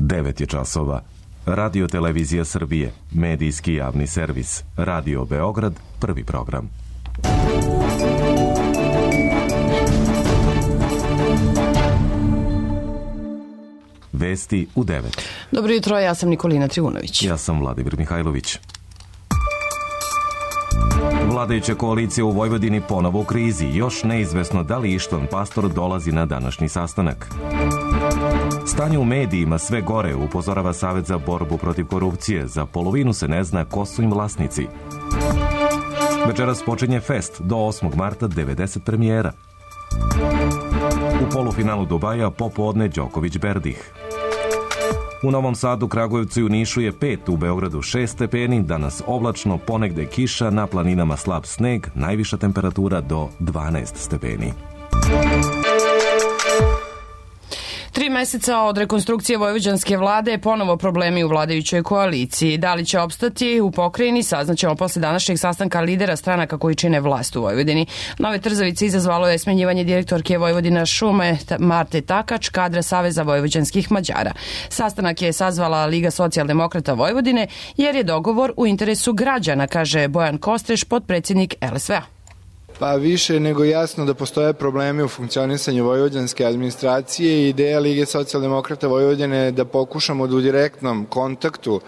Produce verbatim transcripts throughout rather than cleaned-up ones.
devet je časova. Radio Televizija Srbije, medijski javni servis. Radio Beograd, prvi program. Vesti u devet. Dobro jutro, ja sam Nikolina Trivunović. Ja sam Vladimir Mihajlović. Vladajuća koalicija u Vojvodini ponovo u krizi. Još neizvesno da li Ištvan Pastor dolazi na današnji sastanak. Stanje u medijima sve gore, upozorava Savet za borbu protiv korupcije. Za polovinu se ne zna ko su im vlasnici. Večeras počinje fest, do osmog marta devedeset premijera. U polufinalu Dubaja popodne Đoković Berdih. U Novom Sadu, Kragujevcu i u Nišu je pet, u Beogradu šest stepeni, danas oblačno, ponegde kiša, na planinama slab sneg, najviša temperatura do dvanaest stepeni. Tri meseca od rekonstrukcije vojvođanske vlade, ponovo problemi u vladajućoj koaliciji. Da li će opstati u pokrajini, saznaćemo posle današnjeg sastanka lidera stranaka koji čine vlast u Vojvodini. Nove trzavice izazvalo je smenjivanje direktorke Vojvodina šume Marte Takač, kadra Saveza vojvođanskih Mađara. Sastanak je sazvala Liga socijaldemokrata Vojvodine jer je dogovor u interesu građana, kaže Bojan Kostreš, potpredsjednik L S V-a. Pa više nego jasno da postoje problemi u funkcionisanju vojvođanske administracije i ideja Lige socijaldemokrata Vojvodine je da pokušamo da u direktnom kontaktu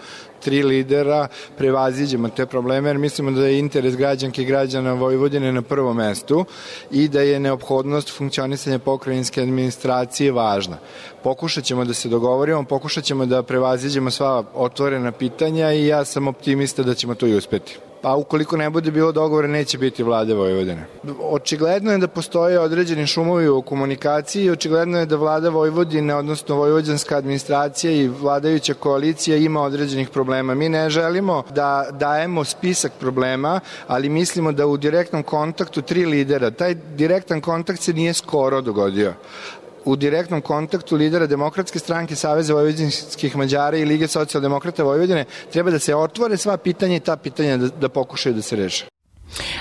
tri lidera prevaziđemo te probleme, jer mislimo da je interes građanke i građana Vojvodine na prvom mestu i da je neophodnost funkcionisanja pokrajinske administracije važna. Pokušat ćemo da se dogovorimo, pokušat ćemo da prevaziđemo sva otvorena pitanja i ja sam optimista da ćemo to i uspeti. Pa ukoliko ne bude bilo dogovora, neće biti vlade Vojvodine. Očigledno je da postoje određeni šumovi u komunikaciji i očigledno je da vlada Vojvodine, odnosno vojvođanska administracija i vladajuća koalicija ima određenih problema. Mi ne želimo da dajemo spisak problema, ali mislimo da u direktnom kontaktu tri lidera, taj direktan kontakt se nije skoro dogodio. U direktnom kontaktu lidera Demokratske stranke, Saveza vojvođanskih Mađara i Lige socijaldemokrata Vojvodine treba da se otvore sva pitanja i ta pitanja da, da pokušaju da se reše.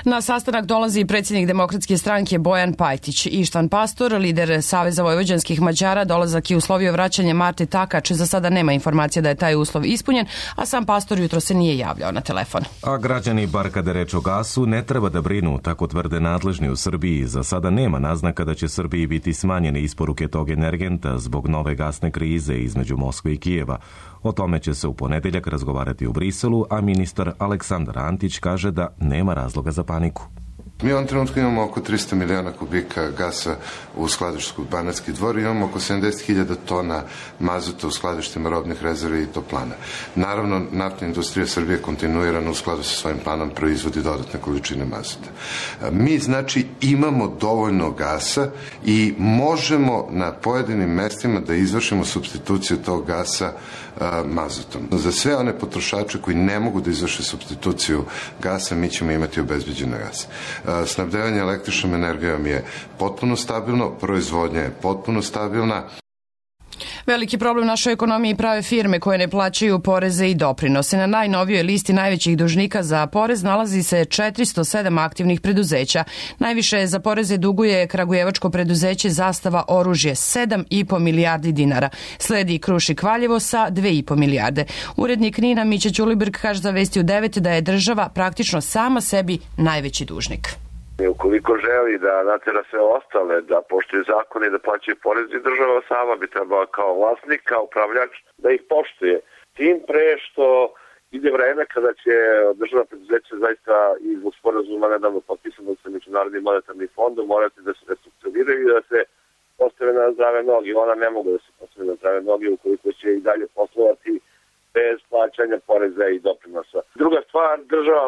Na sastanak dolazi predsjednik Demokratske stranke Bojan Pajtić. Ištvan Pastor, lider Saveza vojvođanskih Mađara, dolazak i uslovio vraćanje Marte Takač. Za sada nema informacija da je taj uslov ispunjen, a sam Pastor jutro se nije javljao na telefon. A građani, bar kada reč o gasu, ne treba da brinu, tako tvrde nadležni u Srbiji. Za sada nema naznaka da će Srbiji biti smanjene isporuke tog energenta zbog nove gasne krize između Moskve i Kijeva. O tome će se u ponedeljak razgovarati u Briselu, a ministar Aleksandar Antić kaže da nema razloga za paniku. Mi u ovom trenutku imamo oko tristo miliona kubika gasa u skladištu Banatski Dvor i imamo oko sedamdeset hiljada tona mazuta u skladištima robnih rezervi i toplana. Naravno, naftna industrija Srbije kontinuirano u skladu sa svojim planom proizvodi dodatne količine mazuta. Mi, znači, imamo dovoljno gasa i možemo na pojedinim mestima da izvršimo supstituciju tog gasa mazutom. Za sve one potrošače koji ne mogu da izvrše supstituciju gasa, mi ćemo imati obezbeđen gas. Snabdevanje električnom energijom je potpuno stabilno, proizvodnja je potpuno stabilna. Veliki problem našoj ekonomiji prave firme koje ne plaćaju poreze i doprinose. Na najnovijoj listi najvećih dužnika za porez nalazi se četiristo sedam aktivnih preduzeća. Najviše za poreze duguje kragujevačko preduzeće Zastava oružje, sedam i po milijardi dinara. Sledi Krušik Valjevo sa dve i po milijarde. Urednik Nina Mića Ćulibrk kaže za Vesti u devet da je država praktično sama sebi najveći dužnik. Ukoliko želi da natera sve ostale, da poštuje zakone i da plaćaju porez, država sama bi trebala kao vlasnik, kao upravljač, da ih poštuje. Tim pre što ide vreme kada će državna preduzeća zaista i zbog sporazuma nedavno potpisano sa Međunarodnim monetarnim fondom morati da se restrukturiraju i da se postave na zdrave noge. Ona ne mogu da se postave na zdrave noge ukoliko će i dalje poslovati bez plaćanja poreza i doprinosa. Druga stvar, država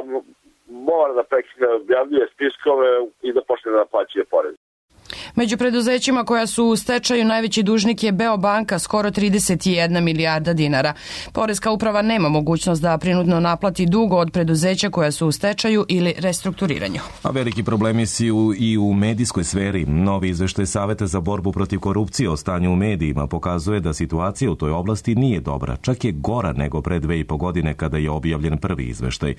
mora da prekine objavljuje spiskove i da počne da naplaćuje porez. Među preduzećima koja su u stečaju najveći dužnik je Beobanka, skoro trideset jedna milijarda dinara. Poreska uprava nema mogućnost da prinudno naplati dug od preduzeća koja su u stečaju ili restrukturiranju. A veliki problemi su i u medijskoj sferi. Novi izveštaj Saveta za borbu protiv korupcije o stanju u medijima pokazuje da situacija u toj oblasti nije dobra, čak je gora nego pre dve i po godine kada je objavljen prvi izveštaj.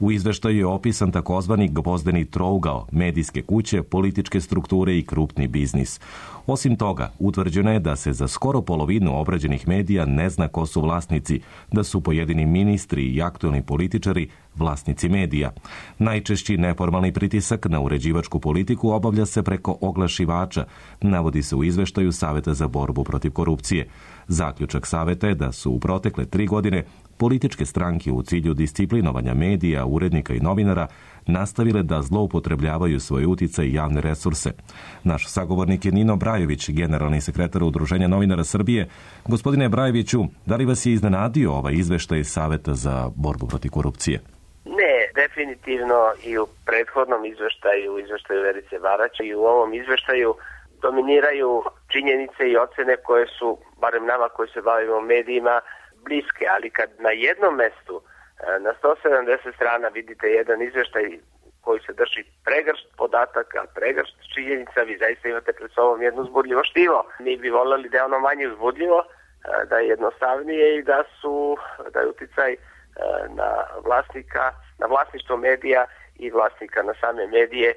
U izveštaju je opisan takozvani gvozdeni trougao, medijske kuće, političke strukture i krupni crni biznis. Osim toga, utvrđeno je da se za skoro polovinu obrađenih medija ne zna ko su vlasnici, da su pojedini ministri i aktuelni političari vlasnici medija. Najčešći neformalni pritisak na uređivačku politiku obavlja se preko oglašivača, navodi se u izveštaju Saveta za borbu protiv korupcije. Zaključak saveta je da su u protekle tri godine političke stranke u cilju disciplinovanja medija, urednika i novinara nastavile da zloupotrebljavaju svoj uticaj i javne resurse. Naš sagovornik je Nino Brajović, generalni sekretar Udruženja novinara Srbije. Gospodine Brajoviću, da li vas je iznenadio ovaj izveštaj Saveta za borbu protiv korupcije? Ne, definitivno i u prethodnom izveštaju, u izveštaju Verice Barać i u ovom izveštaju dominiraju činjenice i ocene koje su, barem nama koji se bavimo medijima, bliske, ali kad na jednom mestu na sto sedamdeset strana vidite jedan izveštaj koji se drži pregršt podataka, pregršt činjenica, vi zaista imate pred sobom jedno uzbudljivo štivo. Mi bi voljeli da je ono manje uzbudljivo, da je jednostavnije i da su da je uticaj na vlasnika, na vlasništvo medija i vlasnika na same medije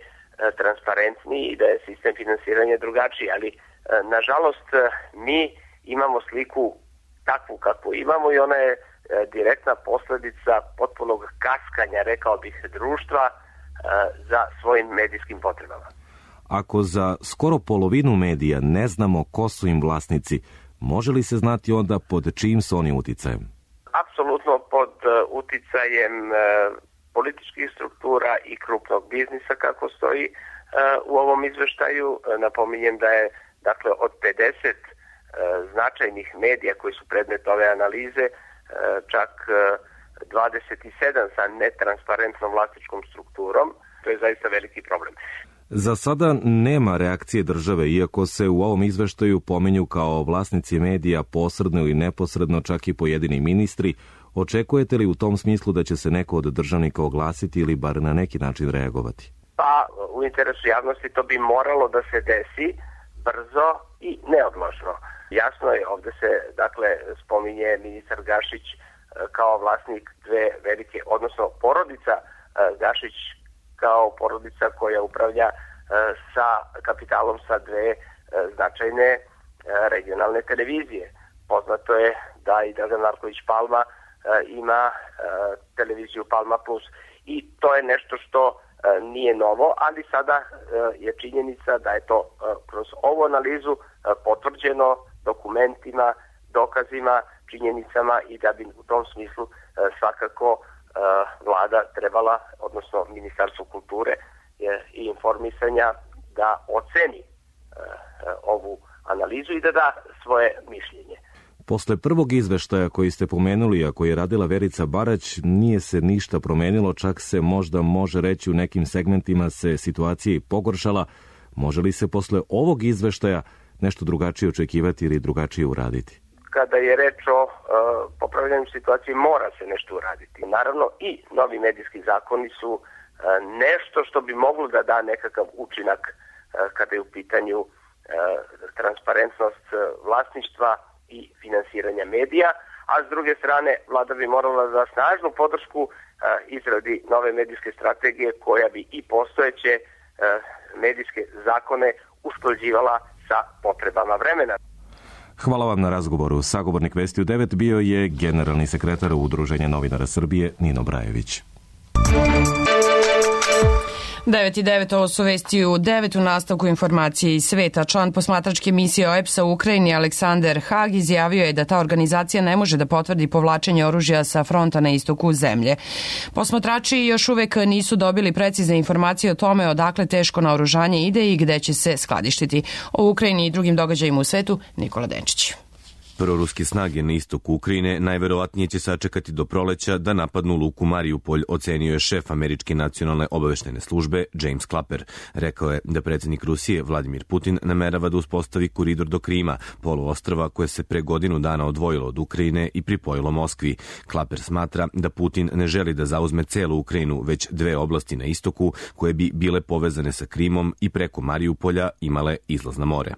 transparentniji i da je sistem finansiranja drugačiji, ali nažalost mi imamo sliku takvu kakvu imamo i ona je direktna posledica potpunog kaskanja, rekao bih, društva za svojim medijskim potrebama. Ako za skoro polovinu medija ne znamo ko su im vlasnici, može li se znati onda pod čijim su oni uticajem? Apsolutno pod uticajem političkih struktura i krupnog biznisa, kako stoji u ovom izveštaju. Napominjem da je, dakle, od pedeset značajnih medija koji su predmet ove analize, čak dvadeset sedam sa netransparentnom vlasničkom strukturom. To je zaista veliki problem. Za sada nema reakcije države, iako se u ovom izveštaju pominju kao vlasnici medija posredno i neposredno čak i pojedini ministri. Očekujete li u tom smislu da će se neko od državnika oglasiti ili bar na neki način reagovati? Pa u interesu javnosti to bi moralo da se desi brzo i neodložno. Jasno je, ovde se dakle spominje ministar Gašić kao vlasnik dve velike, odnosno porodica Gašić kao porodica koja upravlja sa kapitalom sa dve značajne regionalne televizije. Poznato je da i Dragan Marković Palma ima televiziju Palma Plus i to je nešto što nije novo, ali sada je činjenica da je to kroz ovu analizu potvrđeno dokumentima, dokazima, činjenicama i da bi u tom smislu svakako vlada trebala, odnosno Ministarstvo kulture i informisanja, da oceni ovu analizu i da da svoje mišljenje. Posle prvog izveštaja koji ste pomenuli, a koji je radila Verica Barać, nije se ništa promenilo, čak se možda može reći u nekim segmentima se situacija i pogoršala. Može li se posle ovog izveštaja nešto drugačije očekivati ili drugačije uraditi? Kada je reč o uh, popravljanju situacije, mora se nešto uraditi. Naravno, i novi medijski zakoni su uh, nešto što bi moglo da da nekakav učinak uh, kada je u pitanju uh, transparentnost uh, vlasništva i finansiranja medija, a s druge strane vlada bi morala da snažnu podršku uh, izradi nove medijske strategije koja bi i postojeće uh, medijske zakone usklađivala sa potrebama vremena. Hvala vam na razgovoru. Sagovornik Vesti u devet bio je generalni sekretar Udruženja novinara Srbije Nino Brajović. devet i devet, ovo su Vesti u devet, u nastavku informacije iz sveta. Član posmatračke misije O E P S-a u Ukrajini Aleksander Hag izjavio je da ta organizacija ne može da potvrdi povlačenje oružja sa fronta na istoku zemlje. Posmatrači još uvek nisu dobili precizne informacije o tome odakle teško naoružanje ide i gde će se skladištiti. O Ukrajini i drugim događajima u svetu, Nikola Denčić. Proruske snage na istoku Ukrajine najverovatnije će sačekati do proleća da napadnu luku Mariupolj, ocenio je šef Američke nacionalne obaveštene službe James Clapper. Rekao je da predsjednik Rusije Vladimir Putin namerava da uspostavi koridor do Krima, poluostrva koje se pre godinu dana odvojilo od Ukrajine i pripojilo Moskvi. Clapper smatra da Putin ne želi da zauzme celu Ukrajinu, već dve oblasti na istoku koje bi bile povezane sa Krimom i preko Mariupolja imale izlaz na more.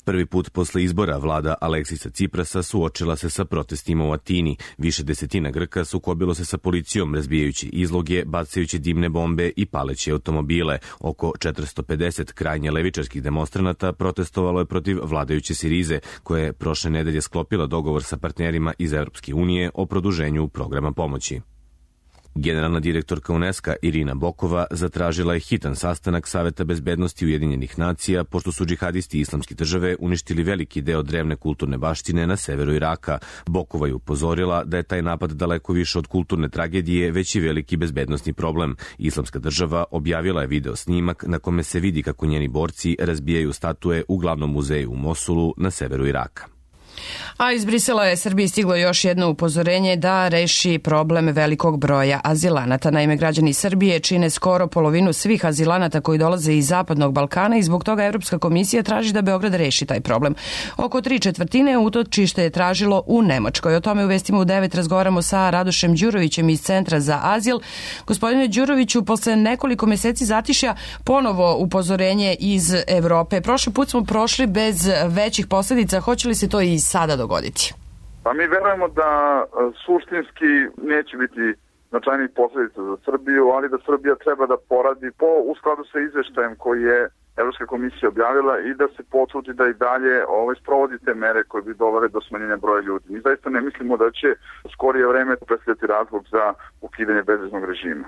Prvi put posle izbora vlada Aleksisa Ciprasa suočila se sa protestima u Atini. Više desetina Grka sukobilo se sa policijom, razbijajući izloge, bacajući dimne bombe i paleći automobile. Oko četiristo pedeset krajnje levičarskih demonstranata protestovalo je protiv vladajuće Sirize, koja je prošle nedelje sklopila dogovor sa partnerima iz Evropske unije o produženju programa pomoći. Generalna direktorka UNESCO Irina Bokova zatražila je hitan sastanak Saveta bezbednosti Ujedinjenih nacija pošto su džihadisti Islamske države uništili veliki deo drevne kulturne baštine na severu Iraka. Bokova je upozorila da je taj napad daleko više od kulturne tragedije, već i veliki bezbednosni problem. Islamska država objavila je video snimak na kome se vidi kako njeni borci razbijaju statue u glavnom muzeju u Mosulu na severu Iraka. A iz Brisela je Srbiji stiglo još jedno upozorenje da reši problem velikog broja azilanata. Naime, građani Srbije čine skoro polovinu svih azilanata koji dolaze iz Zapadnog Balkana i zbog toga Evropska komisija traži da Beograd reši taj problem. Oko tri četvrtine utočište je tražilo u Nemačkoj. O tome u Vestima u devet razgovaramo sa Radošem Đurovićem iz Centra za azil. Gospodine Đuroviću, posle nekoliko meseci zatišja ponovo upozorenje iz Evrope. Prošli put smo prošli bez većih posljedica. Hoće li se to i sada dogoditi? Pa mi verujemo da suštinski neće biti značajnih posljedica za Srbiju, ali da Srbija treba da poradi po u skladu sa izveštajem koji je Evropska komisija objavila i da se potrudi da i dalje ovaj, sprovodi te mere koje bi dovele do smanjenja broja ljudi. Mi zaista ne mislimo da će u skorije vreme predstavljati razlog za ukidanje bezviznog režima.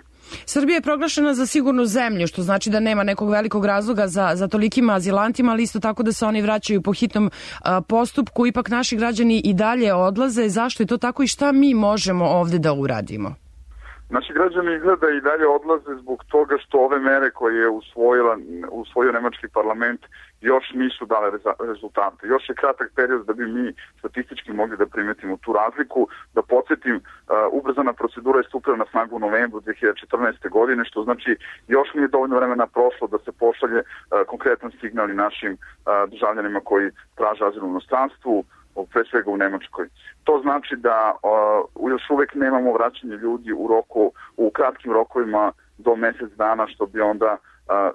Srbija je proglašena za sigurnu zemlju, što znači da nema nekog velikog razloga za, za tolikim azilantima, ali isto tako da se oni vraćaju po hitnom a, postupku. Ipak naši građani i dalje odlaze. Zašto je to tako i šta mi možemo ovde da uradimo? Naši građani izgleda i dalje odlaze zbog toga što ove mere koje je usvojila, usvojio nemački parlament još nisu dale rezultate. Još je kratak period da bi mi statistički mogli da primetimo tu razliku. Da podsjetim, uh, ubrzana procedura je stupila na snagu u novembru dve hiljade četrnaeste. godine, što znači još nije dovoljno vremena prošlo da se pošalje uh, konkretan signal i našim uh, državljanima koji traže azil u inostranstvu, pre svega u Nemačkoj. To znači da uh, još uvek nemamo vraćanje ljudi u roku, u kratkim rokovima do mesec dana, što bi onda uh,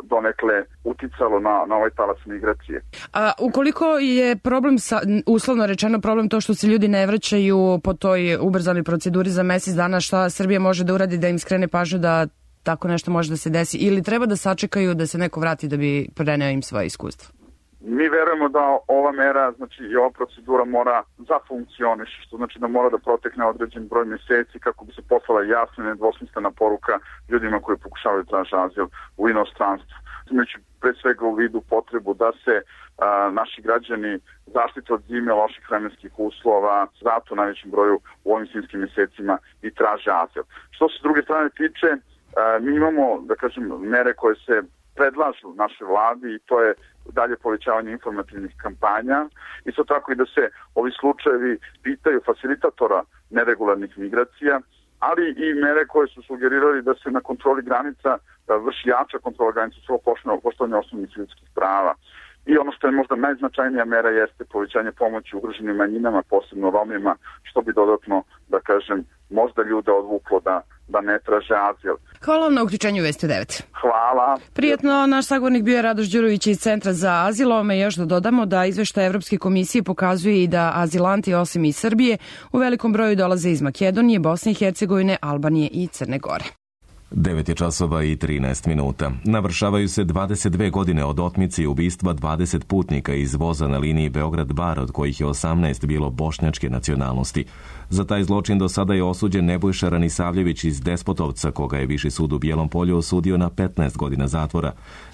donekle uticalo na, na ovaj talac migracije. A ukoliko je problem, sa, uslovno rečeno problem to što se ljudi ne vraćaju po toj ubrzanoj proceduri za mesec dana, šta Srbija može da uradi da im skrene pažnju da tako nešto može da se desi, ili treba da sačekaju da se neko vrati da bi preneo im svoje iskustvo? Mi verujemo da ova mera, znači i ova procedura mora da funkcioniše, što znači da mora da protekne određen broj meseci kako bi se poslala jasna i nedvosmislena poruka ljudima koji pokušavaju tražiti azil u inostranstvu. Imajući pre svega u vidu potrebu da se a, naši građani zaštite od zime, loših vremenskih uslova, zato u najvećem broju u ovim zimskim mesecima i traže azil. Što se s druge strane tiče, a, mi imamo, da kažem, mere koje se predlažu naše vladi i to je dalje povećavanje informativnih kampanja. Isto tako i da se ovi slučajevi pitaju facilitatora neregularnih migracija, ali i mere koje su sugerirali da se na kontroli granica vrši jača kontrola granica svog poštovanja osnovnih ljudskih prava. I ono što je možda najznačajnija mera jeste povećanje pomoći ugroženim manjinama, posebno Romima, što bi dodatno, da kažem, možda ljude odvuklo da, da ne traže azil. Hvala vam na uključenju Vesti devet. Hvala. Prijetno, naš sagovornik bio je Radoš Đurović iz Centra za azil. Ovome još da dodamo da izveštaj Evropske komisije pokazuje i da azilanti osim iz Srbije u velikom broju dolaze iz Makedonije, Bosne i Hercegovine, Albanije i Crne Gore. devet je časova i trinaest minuta. Navršavaju se dvadeset dve godine od otmice i ubistva dvadeset putnika iz voza na liniji Beograd-Bar, od kojih je osamnaest bilo bošnjačke nacionalnosti. Za taj zločin do sada je osuđen Nebojša Ranisavljević iz Despotovca, koga je Viši sud u Bijelom Polju osudio na petnaest godina zatvora.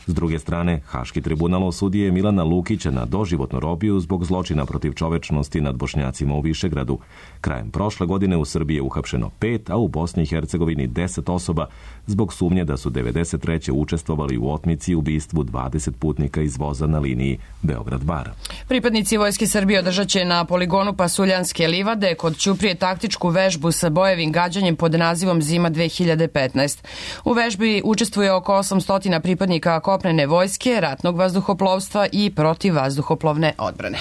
S druge strane, Haški tribunal osudio je Milana Lukića na doživotnu robiju zbog zločina protiv čovečnosti nad Bošnjacima u Višegradu. Krajem prošle godine u Srbiji je uhapšeno pet, a u Bosni i Hercegovini deset osoba zbog sumnje da su devedeset treće učestvovali u otmici i ubistvu dvadeset putnika iz voza na liniji Beograd-Bar. Pripadnici Vojske Srbije održat će na poligonu Pasuljanske livade kod Ćuprije taktičku vežbu sa bojevim gađanjem pod nazivom Zima dve hiljade petnaest. U vežbi učestvuje oko osamsto pripadnika kopnene vojske, ratnog vazduhoplovstva i protivvazduhoplovne odbrane.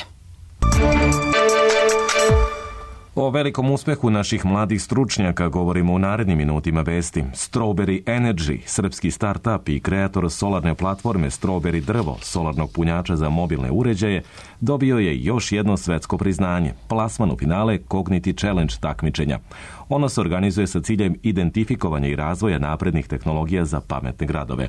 O velikom uspehu naših mladih stručnjaka govorimo u narednim minutima vesti. Strawberry Energy, srpski start-up i kreator solarne platforme Strawberry drvo, solarnog punjača za mobilne uređaje, dobio je još jedno svetsko priznanje, plasman u finale Cogniti Challenge takmičenja. Ono se organizuje sa ciljem identifikovanja i razvoja naprednih tehnologija za pametne gradove.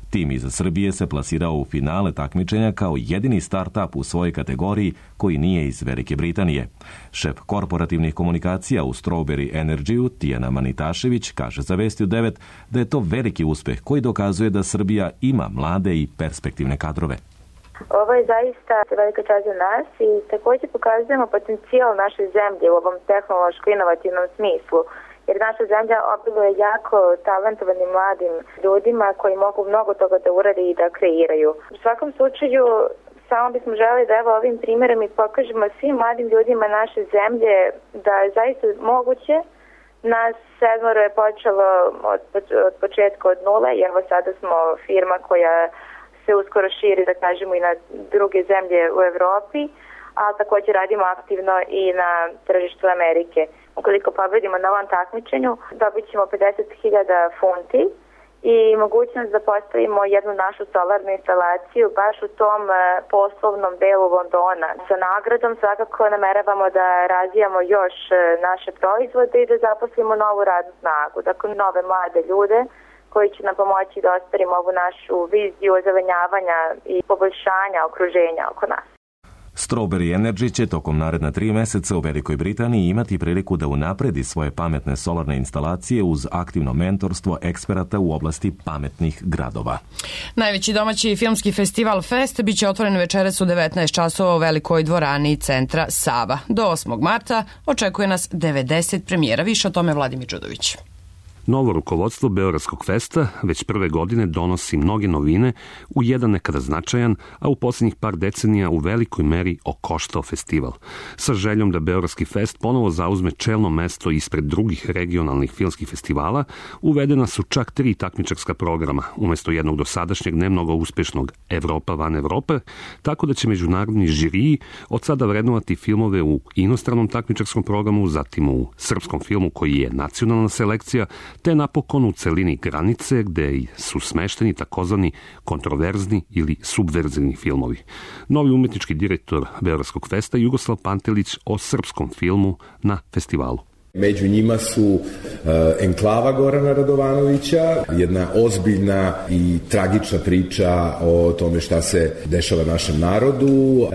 Tim iza Srbije se plasirao u finale takmičenja kao jedini start-up u svojoj kategoriji koji nije iz Velike Britanije. Šef korporativnih komunikacija u Strawberry Energy-u, Tijana Manitašević, kaže za Vesti u devet da je to veliki uspeh koji dokazuje da Srbija ima mlade i perspektivne kadrove. Ovo je zaista velika čast za nas i također pokazujemo potencijal naše zemlje u ovom tehnološko-inovativnom smislu, jer naša zemlja obiluje jako talentovanim mladim ljudima koji mogu mnogo toga da urade i da kreiraju. U svakom slučaju, samo bismo želeli da evo ovim primjerom i pokažemo svim mladim ljudima naše zemlje da je zaista moguće. Nas sedmoro je počelo od, od početka od nule i evo sada smo firma koja se uskoro širi, da kažemo, i na druge zemlje u Evropi, ali također radimo aktivno i na tržištu Amerike. Ukoliko pobedimo na ovom takmičenju, dobit ćemo pedeset hiljada funti i mogućnost da postavimo jednu našu solarnu instalaciju baš u tom poslovnom delu Londona. Sa nagradom svakako nameravamo da razvijamo još naše proizvode i da zaposlimo novu radnu snagu, dakle nove mlade ljude koji će nam pomoći da ostvarimo ovu našu viziju ozelenjavanja i poboljšanja okruženja oko nas. Strawberry Energy će tokom naredna tri meseca u Velikoj Britaniji imati priliku da unapredi svoje pametne solarne instalacije uz aktivno mentorstvo eksperata u oblasti pametnih gradova. Najveći domaći filmski festival Fest biće otvoren večeras u devetnaest časova u velikoj dvorani centra Sava. Do osmog marta očekuje nas devedeset premijera. Više o tome Vladimir Đudović. Novo rukovodstvo Beogradskog festa već prve godine donosi mnoge novine u jedan nekada značajan, a u posljednjih par decenija u velikoj meri okoštao festival. Sa željom da Beogradski fest ponovo zauzme čelno mesto ispred drugih regionalnih filmskih festivala, uvedena su čak tri takmičarska programa, umjesto jednog dosadašnjeg ne mnogo uspešnog Evropa van Evrope, tako da će međunarodni žiriji od sada vrednovati filmove u inostranom takmičarskom programu, zatim u srpskom filmu koji je nacionalna selekcija, te napokon u celini granice gde su smešteni takozvani kontroverzni ili subverzivni filmovi. Novi umetnički direktor Beogradskog festa Jugoslav Pantelić o srpskom filmu na festivalu. Među njima su uh, Enklava Gorana Radovanovića, jedna ozbiljna i tragična priča o tome šta se dešava našem narodu, uh,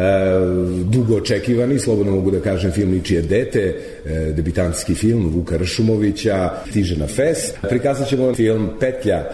dugo očekivani, slobodno mogu da kažem, film Ničije dete, uh, debitanski film Vuka Ršumovića, stiže na fest. Prikazat ćemo film Petlja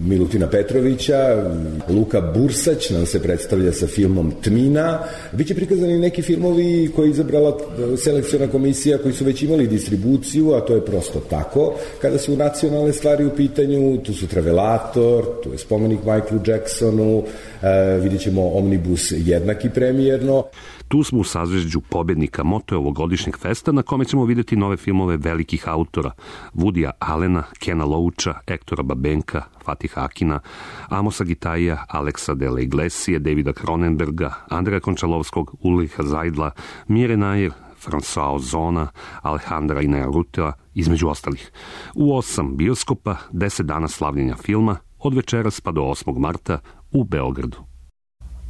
Milutina Petrovića, Luka Bursać nam se predstavlja sa filmom Tmina. Biće prikazani neki filmovi koje je izabrala selekciona komisija koji su već imali distribuciju, a to je prosto tako. Kada su nacionalne stvari u pitanju, tu su Travelator, tu je spomenik Michaelu Jacksonu, e, vidjet ćemo Omnibus jednaki premijerno. Tu smo u sazvežđu pobednika moto ovogodišnjeg festa na kome ćemo vidjeti nove filmove velikih autora Woodya Allena, Kena Loacha, Ektora Babenka, Fatiha Akina, Amosa Gitaija, Aleksa de la Iglesia, Davida Cronenberga, Andreja Končalovskog, Ulricha Zajdla, Mire Nair, François Ozona, Alejandra Inarritua, između ostalih. U osam bioskopa, deset dana slavljenja filma, od večeras pa do osmog marta u Beogradu.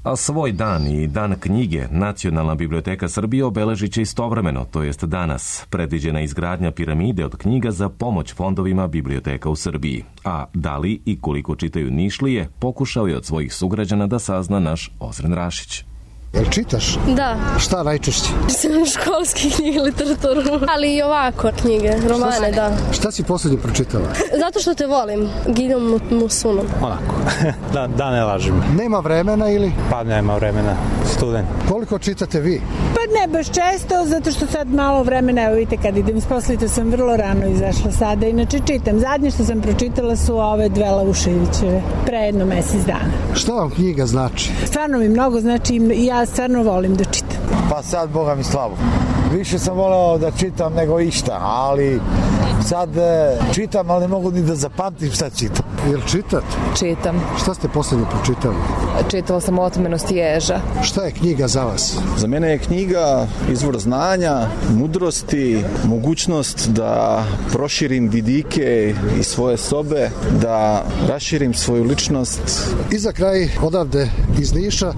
A svoj dan i dan knjige Nacionalna biblioteka Srbije obeležit će istovremeno, to jest danas. Predviđena izgradnja piramide od knjiga za pomoć fondovima biblioteka u Srbiji. A da li i koliko čitaju Nišlije, pokušao je od svojih sugrađana da sazna naš Ozren Rašić. Jel čitaš? Da. Šta najčešće? Školske knjige, literaturu, ali i ovako knjige, romane, da. Šta si posljednje pročitala? Zato što te volim, Gidom Musunom. Onako, da, da ne lažem. Nema vremena ili? Pa nema vremena, student. Koliko čitate vi? Pa ne baš često, zato što sad malo vremena, evo vidite kad idem s poslite sam vrlo rano izašla sada, inače čitam. Zadnje što sam pročitala su ove dve Lauševićeve, pre jedno mesec dana. Šta vam knjiga znači? Stvarno mi mnogo znači i ja stvarno volim da čitam. Pa sad, Boga mi slabo. Više sam voleo da čitam nego išta, ali Sad e, čitam, ali ne mogu ni da zapamtim šta čitam. Jel čitate? Čitam. Šta ste posljednje pročitali? Čitala sam Otmenost ježa. Šta je knjiga za vas? Za mene je knjiga izvor znanja, mudrosti, mogućnost da proširim vidike iz svoje sobe, da raširim svoju ličnost. I za kraj, odavde iz Niša,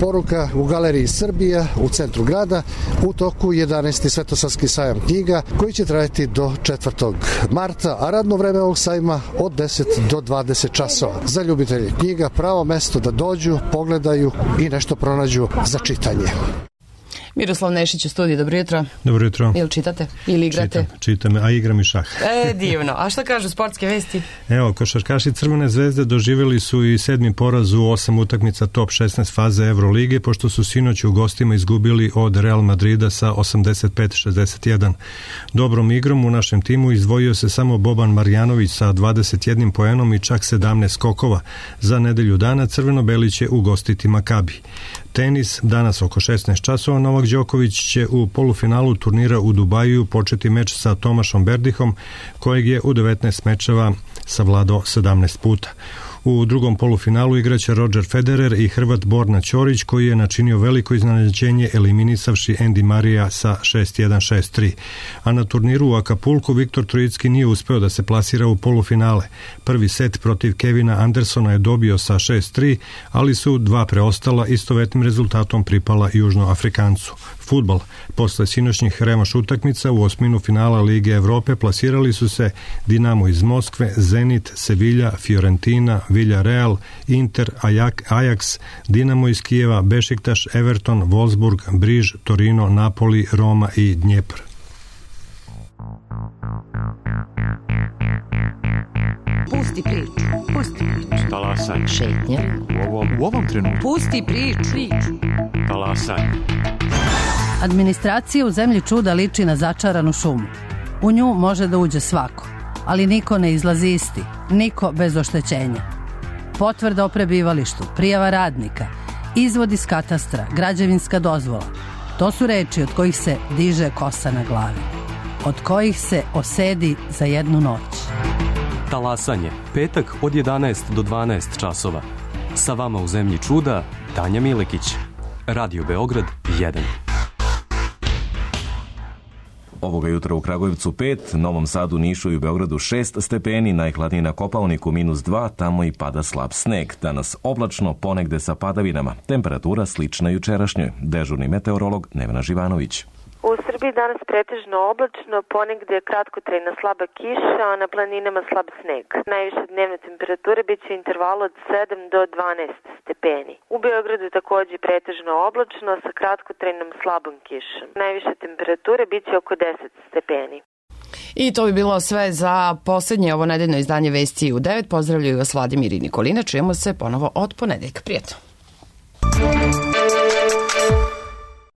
poruka u Galeriji Srbija u centru grada u toku jedanaesti Svetosavski sajam knjiga koji će trajati do četvrtog marta, a radno vreme ovog sajma od deset do dvadeset časova. Za ljubitelje knjiga pravo mesto da dođu, pogledaju i nešto pronađu za čitanje. Miroslav Nešić u studiju, dobro jutro. Dobro jutro. Ili čitate? Ili igrate? Čitam, čitam, a igram i šah. E, divno. A šta kažu sportske vesti? Evo, košarkaši Crvene zvezde doživjeli su i sedmi poraz u osam utakmica top šesnaest faze Evrolige, pošto su sinoć u gostima izgubili od Real Madrida sa osamdeset pet šezdeset jedan. Dobrom igrom u našem timu izdvojio se samo Boban Marjanović sa dvadeset jednim poenom i čak sedamnaest skokova. Za nedelju dana Crveno-beli će ugostiti Makabi. Tenis, danas oko šesnaest časova, Novak Đoković će u polufinalu turnira u Dubaju početi meč sa Tomašom Berdihom, kojeg je u devetnaest mečeva savladao sedamnaest puta. U drugom polufinalu igraće Roger Federer i Hrvat Borna Ćorić, koji je načinio veliko iznenađenje eliminisavši Andy Marija sa šest jedan šest tri. A na turniru u Akapulku Viktor Trojicki nije uspeo da se plasira u polufinale. Prvi set protiv Kevina Andersona je dobio sa šest tri, ali su dva preostala istovetnim rezultatom pripala Južnoafrikancu. Fudbal. Posle sinoćnjih revanš utakmica u osminu finala Lige Evrope plasirali su se Dinamo iz Moskve, Zenit, Sevilla, Fiorentina, Villarreal, Inter, Ajax, Dinamo iz Kijeva, Bešiktaš, Everton, Wolfsburg, Briž, Torino, Napoli, Roma i Dnjepr. Pusti priču, pusti priču. Talasaj. Šetnja. U ovom, u ovom trenutku. Pusti priču. priču. Talasaj. Administracija u zemlji čuda liči na začaranu šumu. U nju može da uđe svako, ali niko ne izlazi isti, niko bez oštećenja. Potvrda o prebivalištu, prijava radnika, izvod iz katastra, građevinska dozvola. To su reči od kojih se diže kosa na glavi, od kojih se osedi za jednu noć. Talasanje, petak od jedanaest do dvanaest časova. Sa vama u zemlji čuda, Tanja Milekić. Radio Beograd jedan. Ovoga jutra u Kragujevcu pet, Novom Sadu, Nišu i u Beogradu šest stepeni, najhladniji na Kopaoniku minus dva, tamo i pada slab sneg. Danas oblačno, ponegde sa padavinama. Temperatura slična jučerašnjoj. Dežurni meteorolog Nevena Živanović. U Srbiji danas pretežno oblačno, ponegde kratkotrajna slaba kiša, a na planinama slab sneg. Najviše dnevne temperature bit će intervalu od sedam do dvanaest stepeni. U Beogradu takođe pretežno oblačno sa kratkotrajnom slabom kišom. Najviše temperature bit će oko deset stepeni. I to bi bilo sve za posljednje ovo nedeljno izdanje Vesti u devet. Pozdravljaju vas Vladimir i Nikolina. Čujemo se ponovo od ponedeljka. Prijetno.